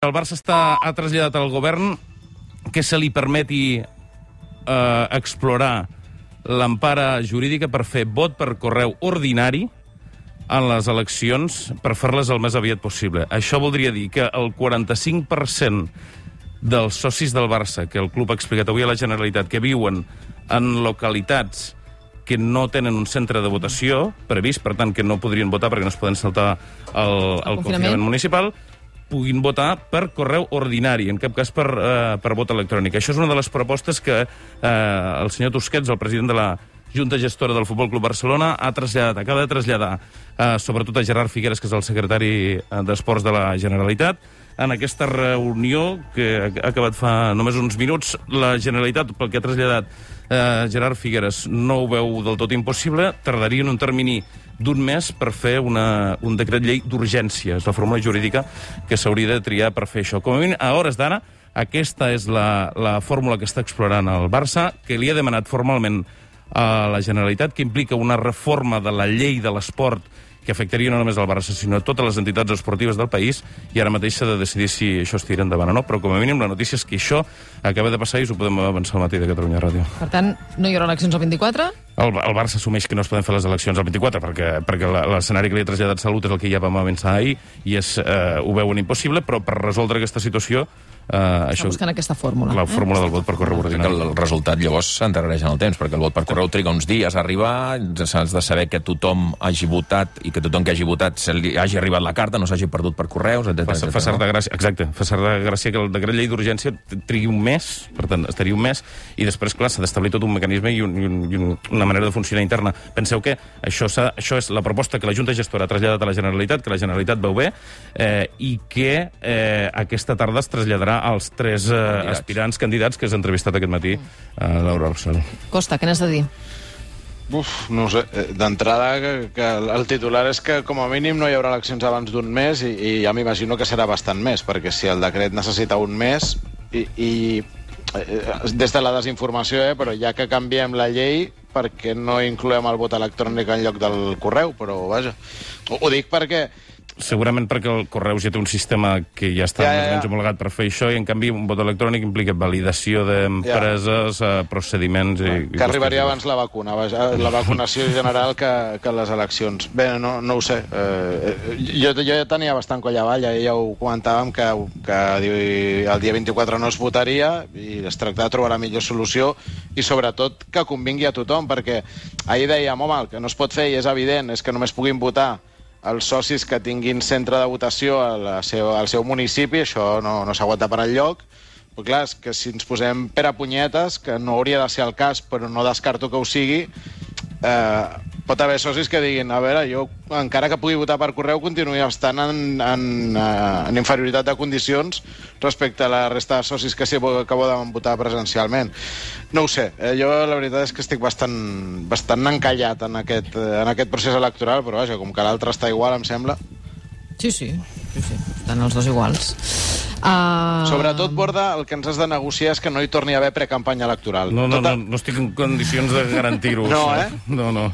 El Barça ha traslladat al govern que se li permeti explorar l'empara jurídica per fer vot per correu ordinari en les eleccions per fer-les el més aviat possible. Això voldria dir que el 45% dels socis del Barça, que el club ha explicat avui a la Generalitat, que viuen en localitats que no tenen un centre de votació previst, per tant, que no podrien votar perquè no es poden saltar el confinament municipal, puguin votar per correu ordinari, en cap cas per vot electrònic. Això és una de les propostes que el senyor Tusquets, el president de la Junta Gestora del Futbol Club Barcelona, acaba de traslladar sobretot a Gerard Figueres, que és el secretari d'Esports de la Generalitat. En aquesta reunió, que ha acabat fa només uns minuts, la Generalitat, pel que ha traslladat Gerard Figueres, no ho veu del tot impossible, tardaria en un termini d'un mes per fer un decret llei d'urgència. És la fórmula jurídica que s'hauria de triar per fer això. Com a mínim, a hores d'ara, aquesta és la fórmula que està explorant el Barça, que li ha demanat formalment a la Generalitat, que implica una reforma de la llei de l'esport que afectaria no només el Barça, sinó a totes les entitats esportives del país, i ara mateix s'ha de decidir si això es tira endavant o no, però com a mínim la notícia és que això acaba de passar i us ho podem avançar al matí de Catalunya Ràdio. Per tant, no hi haurà eleccions el 24? El Barça assumeix que no es poden fer les eleccions el 24, perquè l'escenari que li ha traslladat Salut és el que ja vam avançar ahir, i ho veuen impossible, però per resoldre aquesta situació està buscant aquesta fórmula. La fórmula del vot per correu ordinari. El resultat llavors s'endarrereix en el temps, perquè el vot per correu triga uns dies a arribar, s'has de saber que tothom hagi votat i que tothom que hagi votat hagi arribat la carta, no s'hagi perdut per correus, etc. Fa certa gràcia, exacte, fa certa gràcia que el decret llei d'urgència trigui un mes, per tant, estaria un mes, i després, clar, s'ha d'establir tot un mecanisme i una manera de funcionar interna. Penseu que això és la proposta que la Junta Gestora ha traslladat a la Generalitat, que la Generalitat veu bé, i que aquesta tarda es traslladarà als 3 aspirants candidats que has entrevistat aquest matí a Laura Rossell. Costa, què n'has de dir? No ho sé. D'entrada, que el titular és que com a mínim no hi haurà eleccions abans d'un mes i ja m'imagino que serà bastant més, perquè si el decret necessita un mes i des de la desinformació, però ja que canviem la llei, perquè no incloem el vot electrònic en lloc del correu, però vaja. Ho dic perquè segurament perquè el correu ja té un sistema que ja està més o menys homologat per fer això, i en canvi un vot electrònic implica validació d'empreses, procediments... Que arribaria abans la vacuna, la vacunació general que les eleccions. Bé, no ho sé. Jo ja tenia bastant coll avall, ja ho comentàvem, que el dia 24 no es votaria i es tracta de trobar la millor solució i sobretot que convingui a tothom, perquè ahir dèiem, home, el que no es pot fer i és evident és que només puguin votar els socis que tinguin centre de votació al seu municipi, això no s'aguanta per enlloc. Però clar, és que si ens posem pere punyetes, que no hauria de ser el cas, però no descarto que ho sigui, pot haver socis que diguin, a veure, jo encara que pugui votar per correu continuï estant en inferioritat de condicions respecte a la resta de socis que poden votar presencialment. No ho sé, jo la veritat és que estic bastant encallat en aquest procés electoral, però vaja, com que l'altre està igual, em sembla. Sí, estan els dos iguals. Sobretot, Borda, el que ens has de negociar és que no hi torni a haver precampanya electoral. No estic en condicions de garantir-ho. No, No.